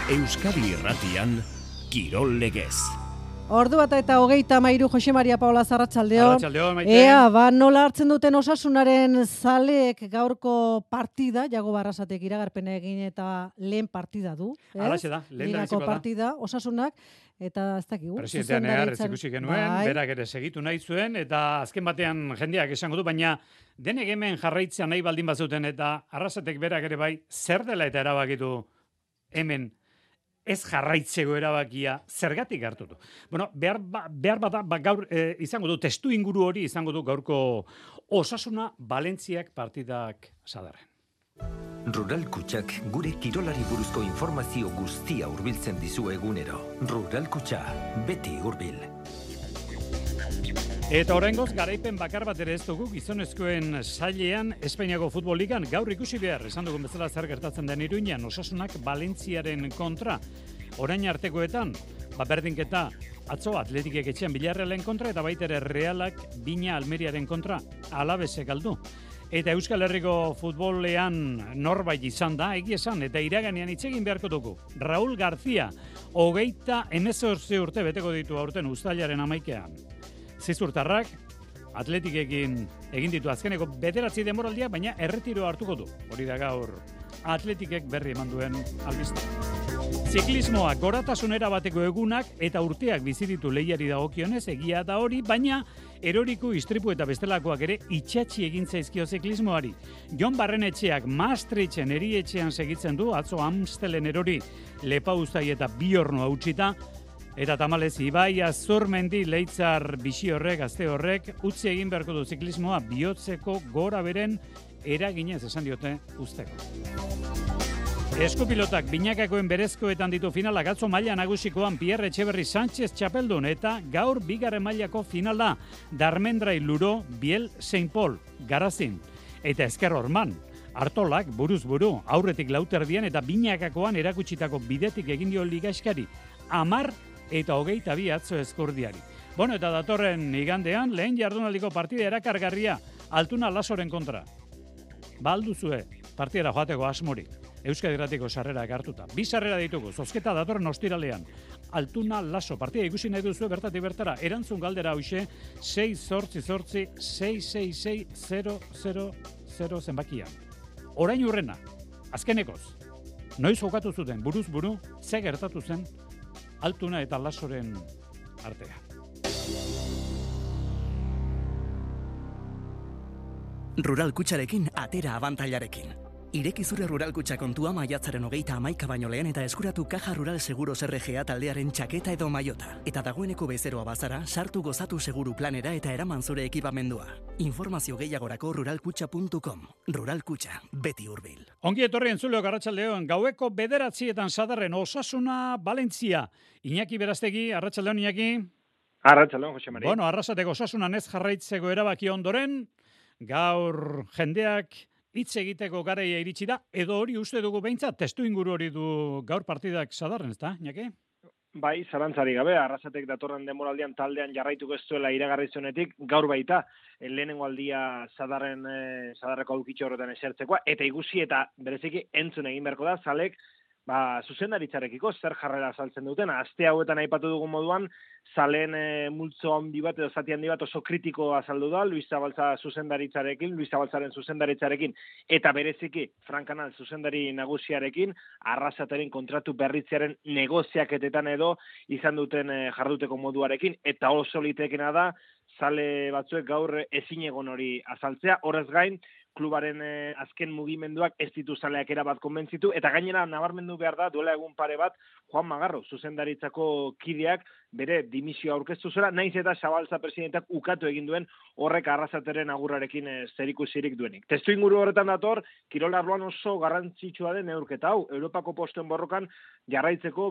Euskadi Irratian, Kirol Legez. Ordu bat eta 33 Jose Maria Paula Arratsaldeon. Arratsaldeon, Maite. Ea, nola hartzen duten Osasunaren zaleek gaurko partida, Jago Barrasatek iragarpena egin eta lehen partida du. Halaxe da, lehen Ligako partida, Osasunak, eta ez dakigu. Presidentean egarrez ikusi genuen, berak ere segitu nahi zuen, eta azken batean jendeak esango du, baina denek hemen jarraitzea nahi baldin bazuten, eta Arrasatek berak ere bai, zer dela eta erabakitu hemen ez jarraitzeko erabakia zergatik hartu du. Bueno, behar bada gaur izango du, testu inguru hori izango du gaurko Osasuna Valentziak partidak Sadarren. Rural Kutxak gure kirolari buruzko informazio guztia hurbiltzen dizu egunero. Rural Kutxa, beti hurbil. Eta oraingoz garaipen bakar bat ere ez dugu gizonezkoen sailean Espainiako futbol ligan gaur ikusi behar, esan dugun bezala zer gertatzen den Iruñan, Osasunak Valentziaren kontra. Orain artekoetan, berdinketa atzo Atletikek etxean Villarrealen kontra eta baita ere Realak Bina Almeriaren kontra Alabesek galdu. Eta Euskal Herriko futbolean norbait izan da, egia esan, eta iraganean hitz egin beharko dugu. Raúl García, 38 urte beteko ditu aurten uztailaren 11ean. Zizurtarrak, Atletikekin egin ditu azkeneko 9 denboraldiak, baina erretiro hartuko du. Hori da gaur Atletikek berri eman duen albiste. Ziklismoa goratasunera bateko egunak eta urteak bizi ditu lehiari dagokionez, egia da hori, baina eroriku, istripu eta bestelakoak ere itxatxi egin zaizkio ziklismoari. Jon Barrenetxeak Maastrichten erietxean segitzen du, atzo Amstelen erori Lepauztai eta Biorno hautsita, eta tamalez Ibai Azurmendi Leitzar bixi horrek, gazte horrek, utzi egin beharko du ziklismoa bihotzeko gora beren eraginez esan diote usteko. Eskupilotak binakakoen berezkoetan ditu finalak, atzo maila nagusikoan Pierre Etxeberri Sánchez txapeldun eta gaur bigarren mailako finala Darmendrai Luro Biel Saint Paul Garazin eta Esker Orman. Artolak buruz buru aurretik lauterdian eta binakakoan erakutsitako bidetik egin dio ligaskari 10 eta 22 atzo eskurdiari. Bueno, eta datorren igandean lehen jardunaldiko partida erakargarria Altuna Lasoren kontra. Balduzue partidara joateko asmorik. Euskadi Irratiko sarrerak hartuta. 2 sarrera ditugu, zozketa datorren ostiralean. Altuna Laso, partida ikusi nahi duzu bertatik bertara. Erantzun galdera hauxe, 688-666-000 zenbakia. Orain urrena, azkenekoz, noiz jokatu zuten buruz buru, ze gertatu zen Altuna eta Lasoren artea. Rural Kutxarekin atera abantailarekin. Ireki zure Rural Kutxa kontua maiatzaren 31 baino lehen eta eskuratu Caja Rural Seguros RGA taldearen txaketa edo maiota. Eta dagoeneko bezeroa bazara, sartu gozatu seguru planera eta eraman zure ekipamendua. Informazio gehiagorako ruralkutxa.com. Rural Kutxa, beti hurbil. Ongi etorri entzuleok arratsaldeon, gaueko 9 Sadarren Osasuna Valentzia. Iñaki Berastegi, arratsaldeon Iñaki. Arratsaldeon Jose Maria. Bueno, Arrasateko Osasunan ez jarraitzeko erabaki ondoren, gaur jendeak hitz egiteko garaia iritsi da, edo hori uste dugu behintzat, testu inguru hori du gaur partidak Sadarren, ez da, Iñaki? Bai, zalantzari gabe, Arrasatek datorren denboraldian taldean jarraituko ez duela iragarri zuenetik, gaur baita, lehenengo aldia Sadarreko aukitxo horretan esertzekoa, eta ikusi eta bereziki entzun egin beharko da, zalek, zuzendaritzarekiko zer jarrera azaltzen duten. Aste hauetan aipatu dugun moduan, zaleen multzo handi bat edo zati handi bat oso kritiko azaldu da, Luis Zabaltzaren zuzendaritzarekin, eta bereziki Frank Canal zuzendari nagusiarekin, Arrasateren kontratu berritzearen negoziaketetan edo izan duten jarduteko moduarekin, eta oso litekena da, zale batzuek gaur ezinegon hori azaltzea, horrez gain, klubaren azken mugimenduak ez ditu zaleak erabat konbentzitu, eta gainera nabarmendu behar da, duela egun pare bat, Juan Magarro, zuzendaritzako kideak, bere dimisioa aurkeztu zela, naiz eta Zabaltza presidentak ukatu egin duen horrek Arrasateren agurrarekin zerikusirik duenik. Testu inguru horretan dator, kirol arloan oso garrantzitsua den neurketa hau, Europako postuen borrokan jarraitzeko,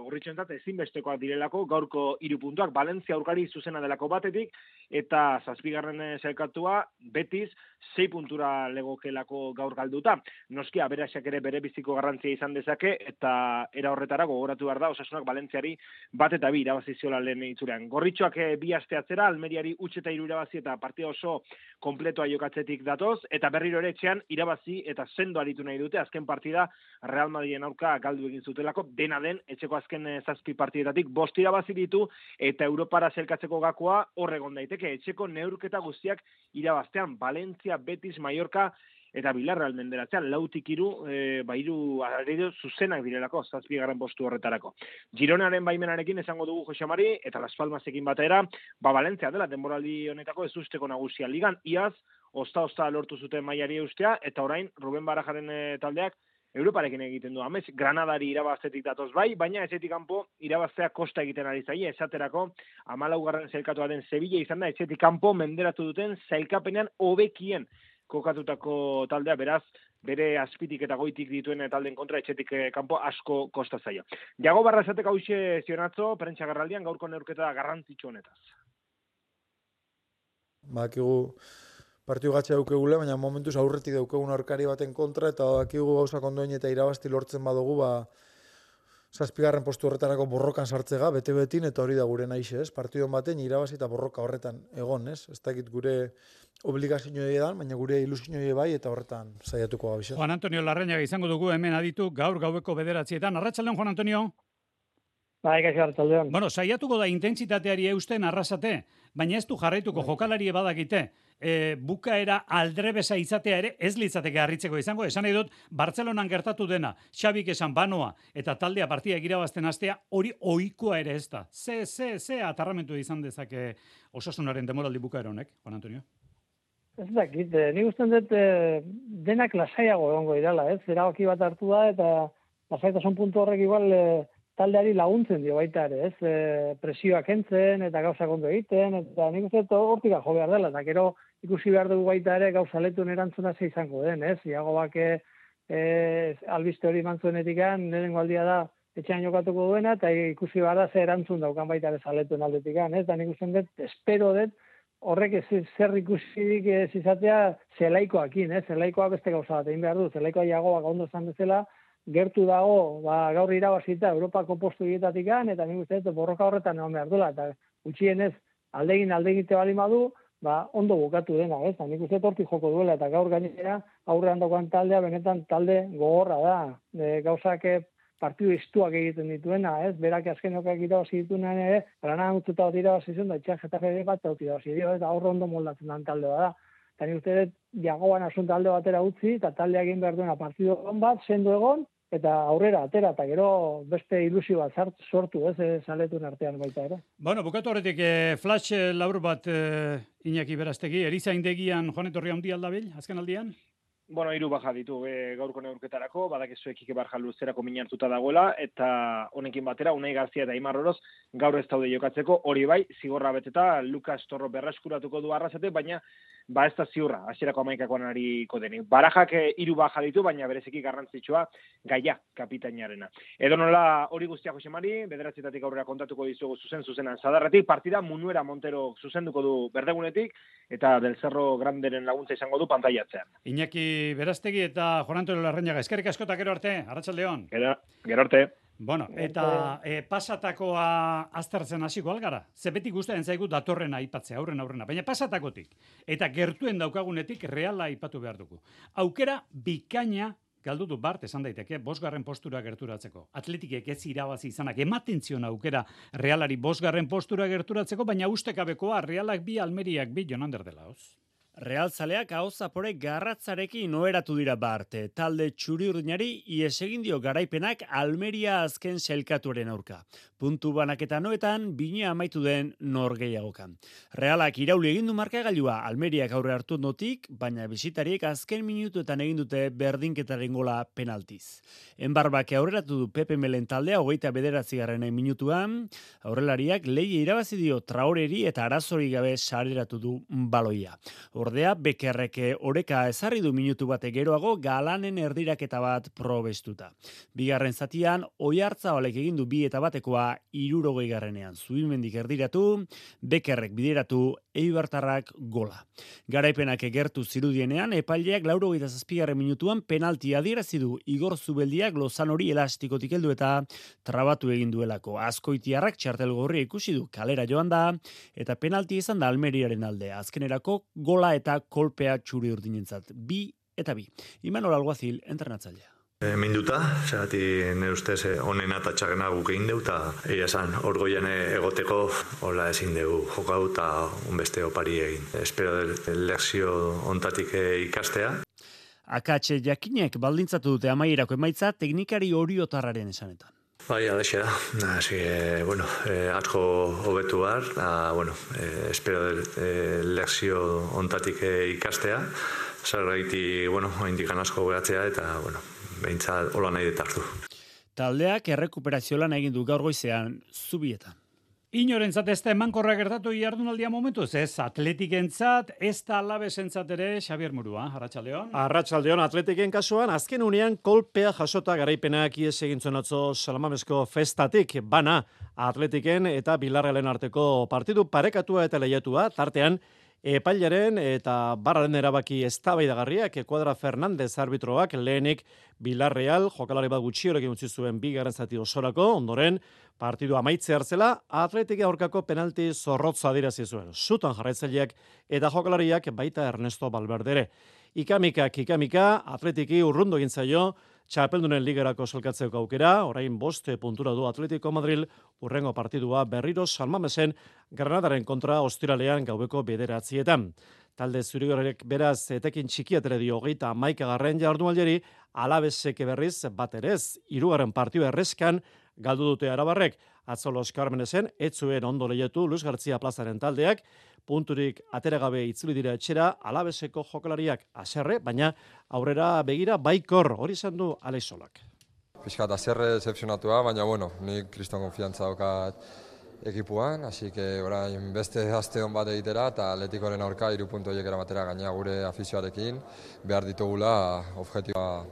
gorritxoentzat ezinbestekoak direlako, gaurko 3 puntuak, Valentzia aurkari zuzena delako batetik, eta 7. sailkatua, Betis, 6 puntura legokelako gaur galduta. Noski, aberasak ere bere biziko garrantzia izan dezake, eta era horretara gogoratu behar da, Osasunak Valentziari 1-2 irabazi irabazi ziola lehen itzulean. Gorritxoak bi aste atzera, Almeriari 3-3 irabazi eta partida oso kompletoa jokatzetik datoz, eta berriro ere etxean irabazi eta sendo aritu nahi dute, azken partida Real Madriden aurka galdu egin zutelako, dena den, etxeko azken 7 partidetatik 5 irabazi ditu, eta Europara zelkatzeko gakoa horregon daiteke, etxeko neurketa guztiak irabaztean, Valencia, Betis, Mallorca, eta Villarreal menderatzean, 4-3, 3 zuzenak direlako, 7. postu horretarako. Gironaren baimenarekin esango dugu Jose Mari, eta Las Palmasekin batera, Valencia dela, denboraldi honetako ez usteko nagusia ligan, iaz, osta lortu zuten mailari eustea, eta orain, Ruben Barajaren taldeak, Europarekin egiten du amez, Granadari irabaztetik datoz bai, baina etxetik kanpo irabaztea kosta egiten ari zaie, esaterako 14. sailkatua den Sevilla izan da, etxetik kanpo menderatu duten sailkapenean hobekien kokatutako taldea, beraz, bere azpitik eta goitik dituen taldeen kontra etxetik kanpo asko kosta zaio. Jago Barrasatek hauxe zionatzo, prentsa garraldian gaurko neurketa garrantzitsu honetaz. Bakigu partidu gatxe daukegule, baina momentuz aurretik daukegun aurkari baten kontra, eta bakigu gauza kondoin eta irabazti lortzen badugu, 7. postu horretarako borrokan sartzega, bete-betin, eta hori da gure naixe, ez? Partidon baten irabazi eta borroka horretan egon, ez? Ez dakit gure obligazioa edan, baina gure ilusioa bai, eta horretan saiatuko gabiz. Juan Antonio Larrañaga izango dugu hemen aditu gaur gaueko 9:00. Arratsaldeon, Juan Antonio? Bai, kaixo arratsaldeon. Bueno, saiatuko da intentsitateari eusten Arrasate, baina ez du jarraituko jokalari badakite. Bukaera aldrebesa izatea ere ez litzateke harritzeko izango. Esan nahi dut, Bartzelonan gertatu dena, Xabik esan Banoa eta taldea partia irabazten hastea, hori ohikoa ere ez da. Ze atarramentu izan dezake Osasunaren demoraldi bukaera honek, Juan Antonio? Ez dakit, nik usten dut denak lasaiago egongo irala, ez? Erabaki bat hartu da eta lasaitasun puntu horrek igual taldeari laguntzen dio baita ere, ez? Presioak kentzen eta gauzak ondo egiten, eta nik uste dut hortik jo behar dela, eta gero ikusi behar dugu baita ere gauza letuen erantzuna ze izango den, ez? Iago bake albiste hori mantzuenetikan, lehenengo aldia da etxean jokatuko duena, eta ikusi behar da ze erantzun daukan baita ere zaletuen aldetikan, ez? Eta nik uste dut, espero dut, horrek zer ikusirik ez izatea zelaikoakin, ez? Zelaikoa beste gauza bat egin behar du, zelaikoa Iagoak ondo esan bezala, gertu dago, gaur irabazita Europako postu hietatikan, eta nik uste dut borroka horretan egon behar duela, eta gutxienez aldegite bali madu, ondo bukatu dena, ez? Nik uste dut hortik joko duela, eta gaur gainera aurrean daukan taldea, benetan talde gogorra da, gauzak partidu istuak egiten dituena, ez? Berak azkenokak irabazi dituenean ere, Granadan utzuta bat irabazi zuen, da itxan Getafe bat irabazi dio, eta aurre ondo moldatzen den talde da. Eta nik uste dut Jagoan asun talde batera utzi, eta talde egin behar duena partidu egon bat, sendo egon, eta aurrera atera, eta gero beste ilusio bat sortu, ez, zaletuen artean baita ere. Bueno, bukatu horretik, flash labur bat Iñaki Berastegi, erizaindegian Joan Etorri handi aldabil, azken aldian? Bueno, 3 baja ditu gaurko neurketarako, badakizu Ekike Barja luzerako min hartuta dagoela, eta honekin batera, Unai Garzia eta Aimar Oroz gaur ez daude jokatzeko, hori bai, zigorra beteta, Lukas Torro berreskuratuko du Arrasate, baina ez da ziurra, hasierako 11koan ariko denik. Barajak 3 baja ditu, baina bereziki garrantzitsua Gaia kapitainarena. Edonola hori guztia Jose Mari, 9:00 aurrera kontatuko dizugu zuzenan Sadarretik, partida Munuera Montero zuzenduko du Berdegunetik, eta Del Cerro Granderen laguntza izango du pantailatzean. Iñaki Berastegi eta Juan Antonio Larrañaga, eskerrik asko eta gero arte, arratsaldeon. Gero arte. Bueno, eta pasatakoa aztertzen hasiko algara. Ze beti gustatzen zaigu datorrena aipatzea, aurrena, baina pasatakotik eta gertuen daukagunetik Reala aipatu behar dugu. Aukera bikaina galdu du Bart esan daiteke 5. postura gerturatzeko. Atletikek ez irabazi izanak ematen zion aukera Realari 5. postura gerturatzeko, baina ustekabekoa Realak 2, Almeriak 2 Jonander dela, hoz. Realzaleak aho zapore garratzarekin oheratu dira Barte. Talde txuri-urdinari ies egin dio garaipenak Almeria azken sailkatuaren aurka. Puntu banaketa noetan, bine amaitu den norgehiagokan. Realak irauli egin du markagailua Almeriak aurre hartu notik, baina bisitariek azken minutuetan egin dute berdinketaren gola penaltiz. Enbarbake aurreratu du Pepe Melen taldea 29. minutuan, aurrelariak leia irabazi dio Traoreri eta arazori gabe sareratu du baloia. Ordea, Bekerrek oreka ezarri du minutu bate geroago Galanen erdiraketa bat probestuta. Bigarren zatian, Oiartzabalek egin du 2-1 60. Zubimendik erdiratu, Bekerrek bideratu, Eibartarrak gola. Garaipenak gertu zirudienean, epaileak 87. minutuan penalti adierazi du Igor Zubeldiak Lozanori elastikotik heldu eta trabatu egin duelako. Azkoitiarrak txartel gorria ikusi du kalera joan da, eta penalti izan da Almeriaren alde. Azkenerako gola eta kolpea txuri urdinentzat. 2-2. Imanol Alguazil, entrenatzailea. Minduta, zerati nire ustez honen atatxagena guk egin deu, eta egia esan, orgoian egoteko hola ezin dugu jokau eta unbeste opari egin. Espero lekzio ontatik ikastea. Akatxe jakinek baldintzatu dute amaierako emaitza teknikari oriotarraren esanetan. Bai, alaxe da. Así que, bueno, asko hobetu behar, espero lekzio ontatik ikastea. Zergaiti, haindikan asko geratzea eta, behintzat hola nahi detartu. Taldeak errekuperazio lan egin du gaur goizean Zubietan. Inorentzat ez da emankorra gertatu jardunaldia momentuz, ez Atletikentzat, ez da Alabesentzat ere, Xabier Murua, Arratsaldeon. Arratsaldeon, Atletiken kasuan, azken unean kolpea jasota garaipenak ies egin zuen atzo Salamamesko festatik, bana Atletiken eta Bilarrealen arteko partidu parekatua eta lehiatua, tartean, epailaren eta barraren erabaki eztabaidagarriak Kuadra Fernandez arbitroak lehenik Bilarreal jokalari bat gutxiorekin utzi zuen bigarren zati osorako, ondoren partidu amaitze hartzela Atletik aurkako penalti zorrotza adierazi zuen. Zutan jarraitzaileak eta jokalariak baita Ernesto Valverde. Ikamika, Atletiki urrundu egin zaio Txapeldunen ligerako salkatzeko aukera, orain 5 puntura du Atletico Madrid, urrengo partidua berriro San Mamesen Granadaren kontra ostiralean gaueko 9:00. Talde zurigorrek beraz etekin txikiatere dio 31. jardunaldiari, Alabesek berriz baterez, 3. partida erreskan galdu dute arabarrek. Atzo Los Carmenesen ez zuen ondo lehiatu Luis García plazaren taldeak, punturik ateragabe itzuli dira etxera, Alabeseko jokalariak haserre, baina aurrera begira baikor, hori izan du Alexolak. Fiskat haserre decepcionatua, baina nik kriston konfiantza daukat ekipuan, así que orain beste aste on bat egitera eta Atleticoren aurka 3 puntu horiek eramatera gaina gure afizioarekin behar ditugula objektiboa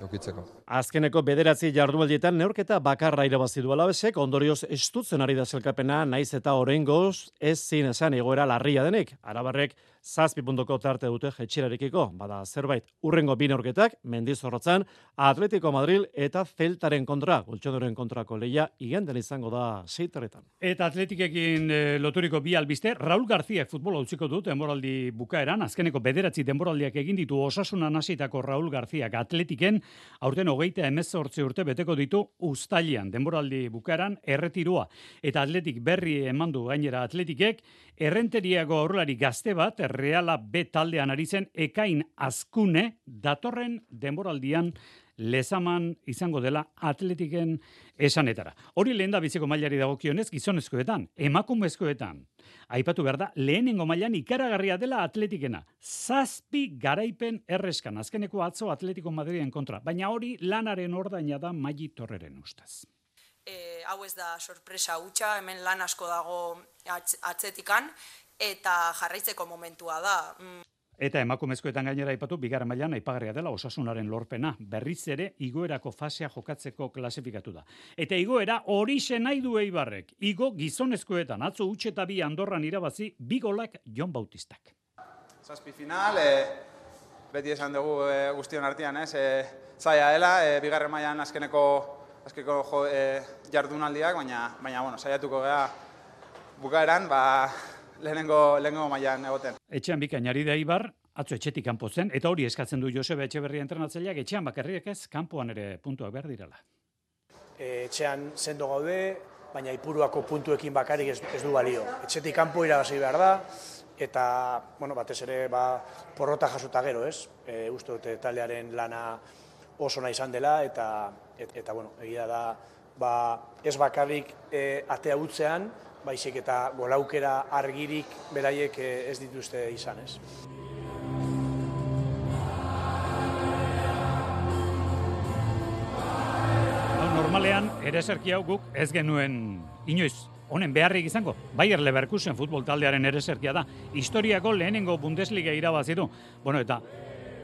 eukitzeko. Azkeneko 9 jardunaldietan neurketa bakarra irabazi du Alabesek, ondorioz estutzen ari da sailkapena, naiz eta oraingoz ezin esan egoera larria denik. Arabarrek 7 puntuko tarte dute jetxerarekiko, bada zerbait. Urrengo 2 neurketak Mendizorrotzan Atletico Madrid eta Celtaren kontra, Goltxodoren kontrako lehia iganden izango da 6:00. Eta Atleticekin loturiko 2 albiste, Raúl García futbola utziko dut denboraldi bukaeran, azkeneko 9 denboraldiak egin ditu Osasunan hasitako Raúl Garcíak Atletiken, aurten 38 urte beteko ditu uztailean denboraldi bukaeran erretiroa. Eta Atletik berri emandu gainera Atletikek, errenteriago aurrelari gazte bat, Reala B taldean ari zen Ekain Azkune datorren denboraldian lezaman izango dela Atletiken esanetara. Hori lehen da biziko mailari dagokionez gizonezkoetan, emakumezkoetan. Aipatu behar da, lehenengo mailan ikaragarria dela Atletikena. 7 garaipen erreskan, azkeneko atzo Atletico Madriden kontra. Baina hori lanaren ordaina da Maili Torreren ustez. Hau ez da sorpresa hutsa, hemen lan asko dago atzetikan, eta jarraitzeko momentua da. Eta emakumezkoetan gainera aipatu, bigarren mailan aipagarria dela Osasunaren lorpena. Berriz ere, igoerako fasea jokatzeko klasifikatu da. Eta igoera horixe nahi du Eibarrek. Igo gizonezkoetan, atzo utxe eta 2 Andorran irabazi, 2 golak Jon Bautistak. 7 final, beti esan dugu guztion artean, zaila dela, bigarren mailan azkeneko jardunaldiak, baina saiatuko gea bukaeran, lehenengo mailan egoten. Etxean bikainari da Eibar, atzo etxetik kanpo zen, eta hori eskatzen du Joseba Etxeberria entrenatzaileak, etxean bakarriak ez, kanpoan ere puntuak behar direla. Etxean sendo gaude, baina Ipuruako puntuekin bakarik ez du balio. Etxetik kanpo irabazi behar da, eta batez ere porrota jasota gero, ez? Uste dute taldearen lana oso nahi izan dela, eta egia da, ez bakarrik atea utzean, baizik eta golaukera argirik beraiek ez dituzte izan, ez. Normalean, ereserki hau guk ez genuen inoiz honen beharrik izango. Bayer Leverkusen futbol taldearen ereserkia da. Historiako lehenengo Bundesliga irabazi du. Bueno, eta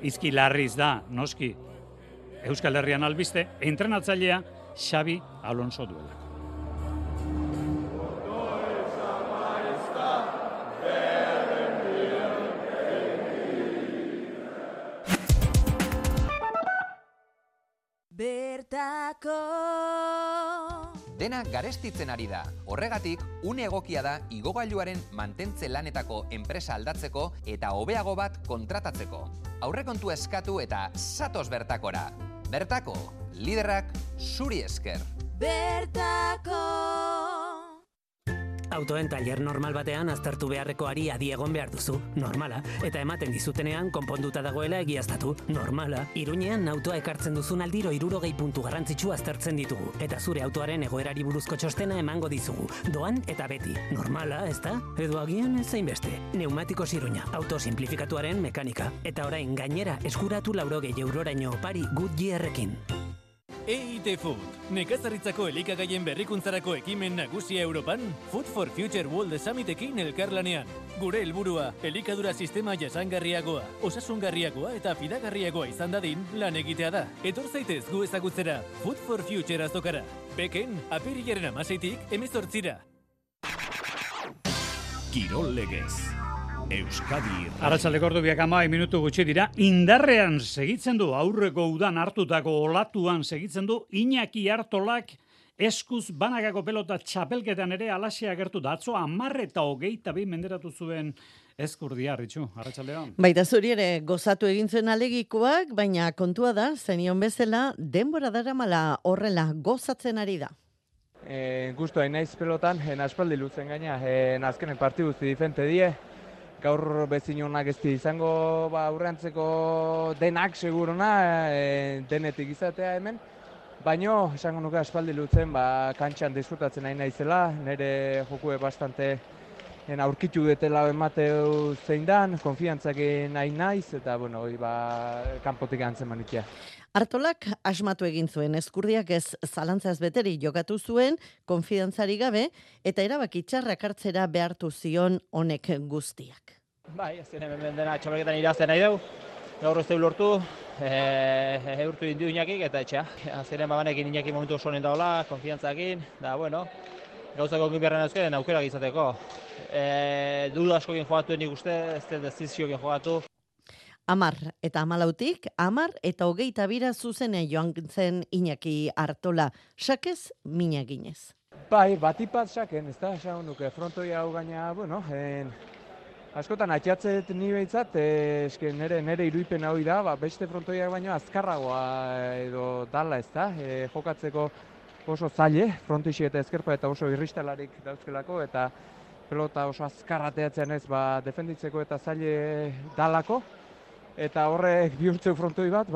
izki larriz da, noski, Euskal Herrian albiste, entrenatzailea Xabi Alonso duelako. Bertako dena garestitzen ari da. Horregatik, une egokia da igogailuaren mantentze lanetako enpresa aldatzeko eta hobeago bat kontratatzeko. Aurrekontua eskatu eta zatoz Bertakora. Bertako, liderrak zuri esker. Bertako. Autoen tailer normal batean aztertu beharrekoari adi egon behar duzu, normala, eta ematen dizutenean konponduta dagoela egiaztatu, normala. Iruñean autoa ekartzen duzun aldiro 60 puntu garrantzitsu aztertzen ditugu, eta zure autoaren egoerari buruzko txostena emango dizugu. Doan eta beti, normala, ezta? Edo agian ez zainbeste. Neumatikos Iruña, auto simplifikatuaren mekanika, eta orain gainera eskuratu 80 euroraino opari Goodyearrekin. EIT Food, nekazaritzako elikagaien berrikuntzarako ekimen nagusia Europan, Food for Future World Summitekin elkarlanean. Gure helburua, elikadura sistema jasangarriagoa, osasungarriagoa eta fidagarriagoa izan dadin lan egitea da. Etor zaitez gu ezagutzera, Food for Future azokara. Beken, apirilaren 16tik 18ra. Kirol Legez. Euskadi. Arratsaldeko ordubiak 10 minutu gutxi dira. Indarrean segitzen du aurreko udan hartutako olatuan segitzen du Iñaki Artolak eskuz banakako pelota txapelketan ere alaxea agertu da. Atzo 10:22 menderatu zuen Ezkurdia, Ritxu, arratsaldean. Baita zuri ere gozatu egin zuen alegikoak, baina kontua da, zenion bezala, denbora daramala horrela gozatzen ari da. Gustu hain naiz pelotan, aspaldi luzen gaina, azkenen partidu difente die. Gaur bezin honak ez izango aurreantzeko denak seguruna, denetik izatea hemen. Baino, esango nuke aspaldi lutzen, kantxan disfrutatzen nahi naizela, nire jokue bastante aurkitu detela emateu zein dan, konfiantzakin nahi naiz, eta bueno, kanpotik antzen manitia. Artolak asmatu egin zuen, Ezkurdiak ez zalantzaz beteri jokatu zuen, konfidantzari gabe, eta erabaki txarrak hartzera behartu zion honek guztiak. Bai, ez hemen dena txapelketan irazten nahi dugu, gaur ez deu lortu, eurtu dindu Iñakik eta etxea. Azeren banekin Iñaki momentu oso honen daola, konfidantzakin, da bueno, gauzak onkin beharren euskaren aukerak izateko. Duda askokin jogatu nik uste, ez den deziziokin jogatu. 10 eta 14, 10 eta 22 zuzenen joan zen Iñaki Artola, sakez mina ginez. Bai, batipat saken, ez da, esan nuke, frontoi hau gaina, bueno, askotan atxatzet ni behitzat, nire iruipen hau da, beste frontoiak baino azkarragoa edo dala ez da, jokatzeko oso zaile, frontixi eta ezkerpa eta oso irristalarik dauzkelako, eta pelota oso azkarrateatzen ez, defenditzeko eta zaile dalako. Eta horrek bihurtzeu frontoi bat,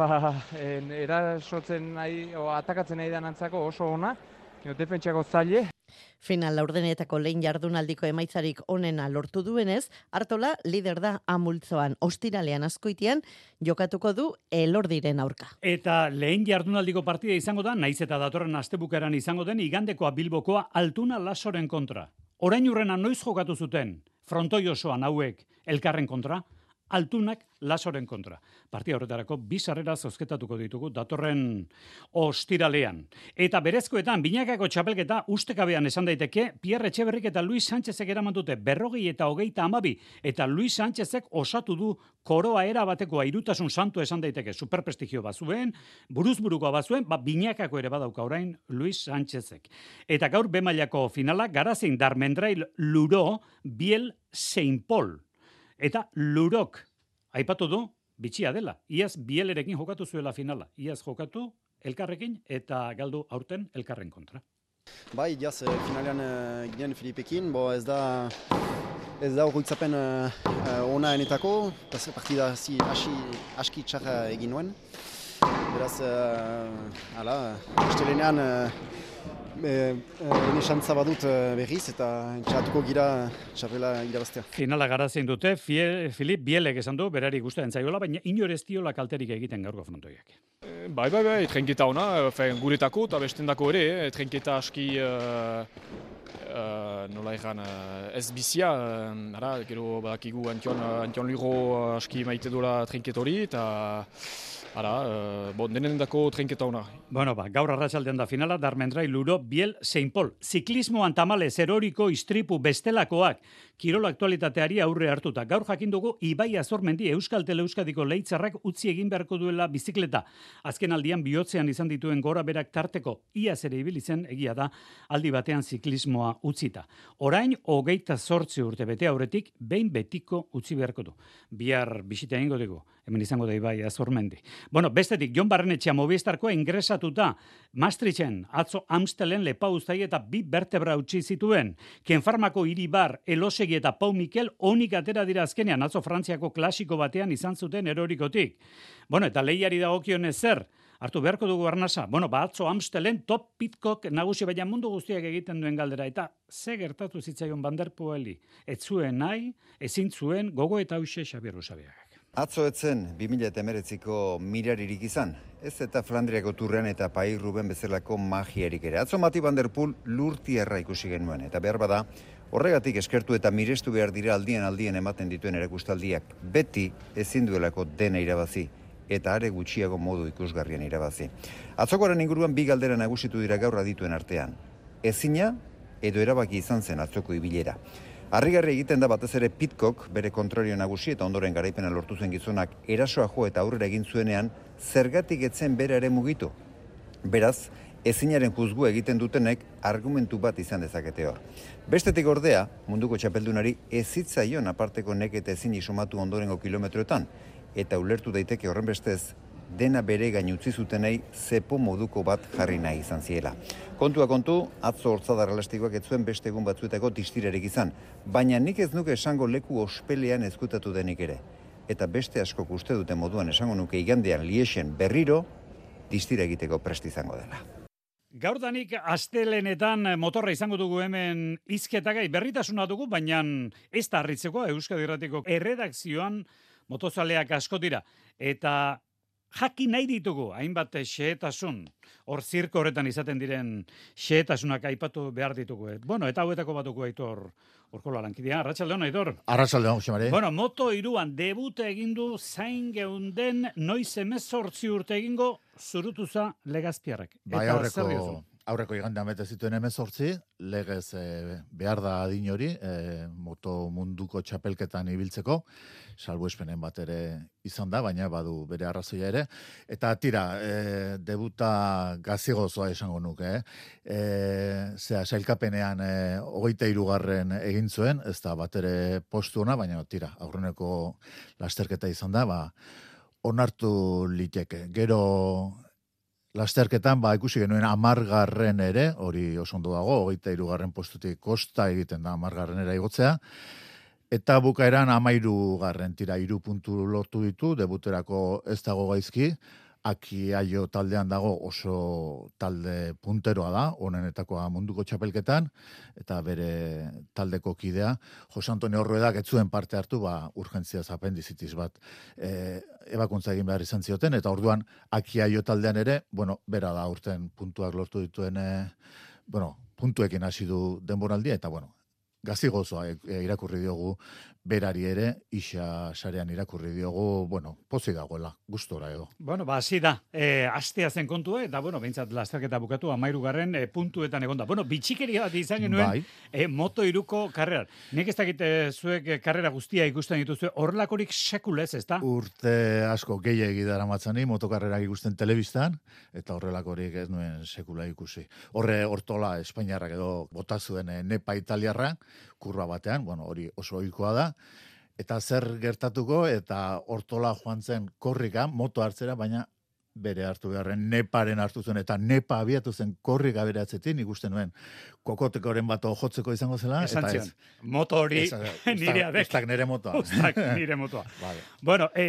erasotzen nahi, atakatzen nahi danantzako oso ona, defentsako zaile. Final laurdenetako lehen jardunaldiko emaitzarik onena lortu duenez, Artola lider da amultzoan, ostiralean Azkoitian jokatuko du Elordiren aurka. Eta lehen jardunaldiko partida izango da, naiz eta datorren astebukaeran izango den, igandekoa Bilbokoa Altuna Lasoren kontra. Orain urrena noiz jokatu zuten, frontoi osoan hauek elkarren kontra, Altunak Lasoren kontra. Partia horretarako 2 sarrera zozketatuko ditugu datorren ostiralean. Eta berezkoetan, binakako txapelketa ustekabean esan daiteke, Pierre Etxeberrik eta Luis Sánchezek eraman dute 40 eta 32, eta Luis Sánchezek osatu du koroa era bateko airutasun santu esan daiteke, superprestigio bazuen, buruzburukoa bazuen, binakako ere badauka orain Luis Sánchezek. Eta gaur B-mailako finala, Garazein Darmendrail Luro, Biel Saint Paul. Eta Lurok, aipatu du, bitxia dela. Iaz Bielerekin jokatu zuela finala. Iaz jokatu elkarrekin eta galdu aurten elkarren kontra. Bai, iaz finalean ginen Filipekin, ez da horretzapen ona enetako, partida aski txarra egin nuen. Beraz, estelenean ene xantza badut berriz eta txatuko gira txapela irabaztea. Finala Garazein dute, Filip Bielek esan du, berari gustatzen zaiola, baina inor ez diola kalterik egiten gaurko frontoiak. Bai, trenketa ona, guretako eta bestendako ere, trenketa aski nola egan, ez bizia, gero badakigu Antion Luro aski maite duela trinket hori, eta denen dako trinketa hona. Bueno, gaur arratsaldean da finala, Darmendrai Luro, Biel, Saint Paul. Ziklismoan tamalez eroriko istripu bestelakoak, kirol aktualitateari aurre hartuta. Gaur jakin dugu Ibai Azormendi Euskal Teleuskadiko Leitzarrak utzi egin beharko duela bizikleta. Azken aldian bihotzean izan dituen gora berak tarteko iaz ere ibili zen, egia da, aldi batean ziklismoa utzita. Orain 28 urte bete aurretik behin betiko utzi beharko du. Bihar bisita egingo dugu. Hemen izango da Ibai Azormendi. Bueno, bestetik, Jon Barrenetxea Movistarkoa ingresatuta Maastrichten, atzo Amstelen lepauztai eta 2 vertebra utzi zituen. Kenfarmako Iribar, Elosegi eta Pau Mikel onik atera dira azkenean, atzo Frantziako klasiko batean izan zuten erorikotik. Bueno, eta lehiari dagokionez zer? Hartu beharko dugu arnasa. Bueno, atzo Amstelen top pitkok nagusi, baina mundu guztiak egiten duen galdera. Eta ze gertatu zitzaion Van der Poeli? Ez zuen nahi, ezin zuen, gogo eta hause Xabier Usabiagak. Atzo etzen 2019ko miraririk izan, ez eta Flandriako turrean eta Pai Ruben bezalako magiarik ere. Atzo Mati Van der Poel lurtierra ikusi genuen, eta behar bada, horregatik eskertu eta mirestu behar dira aldien ematen dituen erakustaldiak, beti ezin duelako dena irabazi, eta are gutxiago modu ikusgarrian irabazi. Atzokoaren inguruan 2 galdera nagusitu dira gaur adituen artean. Ezina edo erabaki izan zen atzoko ibilera. Harrigarri egiten da batez ere Pitcock bere kontrario nagusi eta ondoren garaipena lortu zen gizonak erasoa jo eta aurrera egin zuenean zergatik etzen bera ere mugitu. Beraz, ezinaren juzgu egiten dutenek argumentu bat izan dezakete hor. Bestetik ordea, munduko txapeldunari ez zitzaion aparteko neketa ezin isomatu ondorengo kilometroetan, eta ulertu daiteke horren bestez, dena bere gain utzi zutenei zepo moduko bat jarri nahi izan ziela. Kontua kontu, atzo hortzadar elastikoak ez zuen beste egun batzuetako distirarik izan, baina nik ez nuke esango leku ospelean ezkutatu denik ere. Eta beste askok uste duten moduan esango nuke igandean Liexen berriro distira egiteko prest izango dela. Gaurdanik astelenetan motorra izango dugu hemen hizketagai berritasuna dugu, baina ez da harritzeko Euskadi Irratiko erredakzioan motozaleak asko dira. Eta jakin nahi ditugu, hainbat xehetasun, hor zirko horretan izaten diren xehetasunak aipatu behar ditugu. Bueno, eta hauetako batuko Aitor Urkola lankidean. Arratsaldeon, Aitor. Arratsaldeon, Xamari. Bueno, Moto3an debute egin du zain geunden noiz 18 urte egingo Zurutuza Legazpiarrek. Bai, aurreko igandean bete zituen 18, legez behar da adin hori, moto munduko txapelketan ibiltzeko, salbuespenen bat ere izan da, baina badu bere arrazoia ere. Eta tira, debuta gazigozoa esango nuke. Sailkapenean 23. egin zuen, ez da bat ere postu ona, baina tira, aurreneko lasterketa izan da, onartu liteke. Gero lasterketan ikusi genuen 10. ere, hori oso ondo dago, 23. postutik kosta egiten da 10. igotzea, eta bukaeran 13. tira 3 puntu lortu ditu, debuterako ez dago gaizki, Akiaio taldean dago oso talde punteroa da, honenetakoa munduko txapelketan, eta bere taldeko kidea, Jose Antonio Ruedak ez zuen parte hartu, urgentziaz apendizitis bat ebakuntza egin behar izan zioten, eta orduan Akiaio taldean ere, bera da urten puntuak lortu dituen, puntuekin hasi du denboraldia, eta gazigozoa irakurri diogu berari ere, isa sarean irakurri diogu, pozik dagoela, gustora edo. Hasi da, astea zen kontua, eta, behintzat lasterketa bukatu, 13. Puntuetan egonda. Bitxikeria bat izan genuen, Moto3ko karreran. Nik ez dakit zuek karrera guztia ikusten dituzue, horrelakorik sekulez, ez da? Urte asko gehiagi daramatzani, motokarrerak ikusten telebistan, eta horrelakorik ez nuen sekula ikusi. Hortola, Espainiarrak edo bota zuen nepa italiarra, kurba batean, hori oso ohikoa da, eta zer gertatuko, eta hortola joan zen korrika, moto hartzera, baina bere hartu beharren neparen hartu zuen, eta nepa abiatu zen korrika bere atzetin, ikusten nuen, kokotekoren bat jotzeko izango zela, eta ez. Moto hori nire adek. Ustak nire motoa. Ustak nire motoa.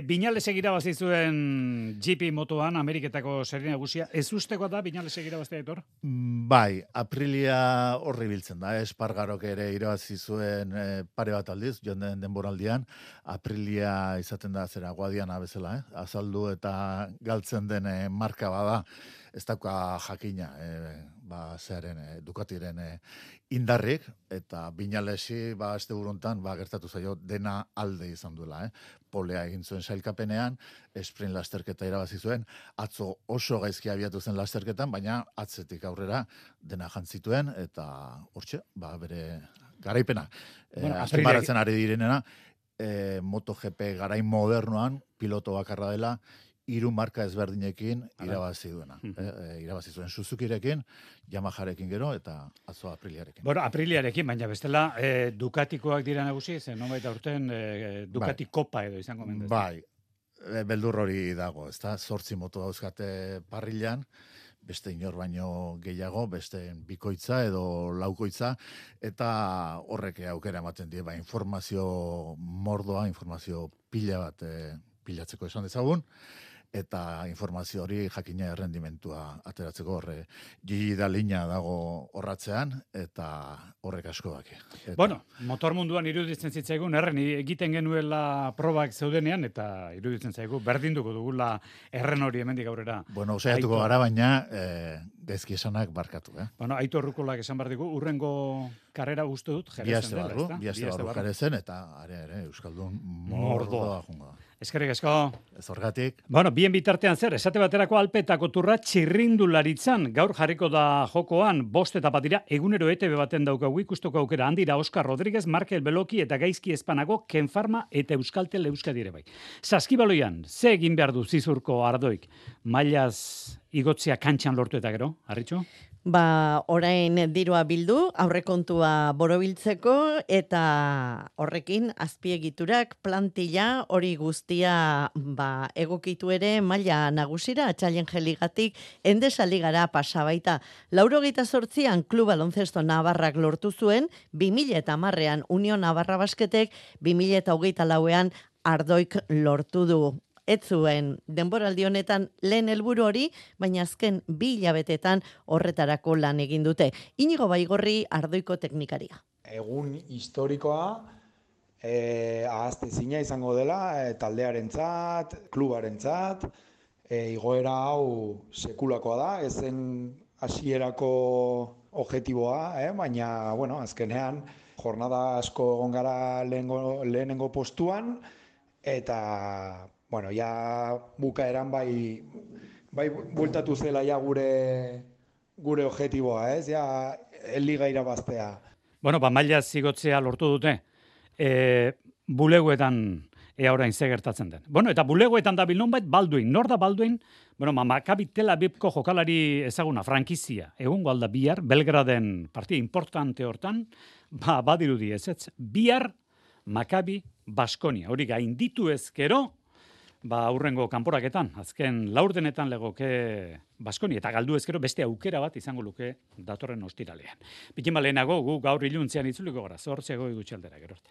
Viñalesek irabazi zuen GP motoan, Ameriketako serie nagusia, ez ustekoa da Viñalesek irabaztea, Aitor? Bai, Aprilia horri biltzen da, Espargarok ere irabazi zuen pare bat aldiz, joan den denboraldian, Aprilia izaten da zera guadiana bezala, azaldu eta galtzen den marka bada, ez dauka jakina, Ducatiren indarrik, eta Binalesi, este buruntan, gertatu zaio, dena alde izan duela, Polea egin zuen sailkapenean, sprint lasterketa irabazi zuen, atzo oso gaizki abiatu zen lasterketan, baina atzetik aurrera dena jantzituen, eta hortxe, bere garaipena. Azpimarratzen ari direnena, MotoGP garain modernoan, piloto bakarra dela, 3 marka ezberdinekin irabazi duena. Irabazi zuen Suzukirekin, Yamaharekin gero, eta atzo Apriliarekin. Bueno, Apriliarekin, baina bestela Ducatikoak dira nagusi, zen nonbait aurten Ducati Kopa edo izango mendez. Bai, beldur hori dago, ezta? 8 moto dauzkate parrilan, beste inor baino gehiago, beste bikoitza edo laukoitza, eta horrek aukera ematen die, informazio mordoa, informazio pila bat pilatzeko esan dezagun, eta informazio hori jakina errendimentua ateratzeko Gigi Dalina dago horratzean, eta horrek asko daki. Bueno, motor munduan iruditzen zitzaigun, egiten genuela probak zeudenean, eta iruditzen zaigu, berdinduko dugula erren hori hemendik aurrera. Bueno, usaiatuko gara, baina gaizki esanak barkatu. Bueno, Aitor Rukolak esan behar digu, urrengo karrera uste dut, jerezen dela, ezta? Biaste barru jerezen, eta are, Euskaldun mordoa jungo. Eskerrik asko. Ez horgatik. Bueno, bien bitartean zer, esate baterako Alpetako turra txirrindularitzan, gaur jarriko da jokoan, 5 etapa dira, egunero ETV baten daukagu ikusteko aukera handira Oscar Rodríguez, Markel Beloki eta Gaizki Espanago, Ken Pharma eta Euskaltel Euskadi ere bai. Saskibaloian, ze egin behar du Zizurko Ardoik? Mailaz igotzea kantxan lortu eta gero, Arritxo? Orain dirua bildu, aurrekontua borobiltzeko, eta horrekin azpiegiturak, plantilla, hori guztia egokitu ere maila nagusira, atxalien jeligatik, Endesa ligara pasabaita. 88an Klub Baloncesto Navarrak lortu zuen, 2010ean Unión Navarra Basketek, 2024ean Ardoik lortu du. Ez zuen denboraldi honetan lehen helburu hori, baina azken 2 hilabetetan horretarako lan egin dute. Inigo Baigorri Ardoiko teknikaria. Egun historikoa, ahaztezina izango dela, taldearentzat, klubarentzat, igoera hau sekulakoa da, ezen hasierako objektiboa, baina, bueno, azkenean jornada asko egon gara lehenengo postuan, eta bueno, ja bukaeran bai bueltatu zela ja gure objektiboa, ez? Ja liga irabaztea. Bueno, maila zigotzea lortu dute. Bulegoetan orain ze gertatzen den. Bueno, eta bulegoetan dabil nonbait Balduin. Nor da Balduin? Bueno, Maccabi Tel Avivko jokalari ezaguna, frankizia. Egungo alda bihar, Belgraden partida importante hortan, badirudi ez. Bihar Maccabi Baskonia. Hori gainditu ezkero, aurrengo kanporaketan, azken laurdenetan legoke Baskoni, eta galdu ezkero beste aukera bat izango luke datorren ostiralean. Bikin lehenago, gu gaur iluntzean itzuliko gara, 8 gutxi aldera, gero arte.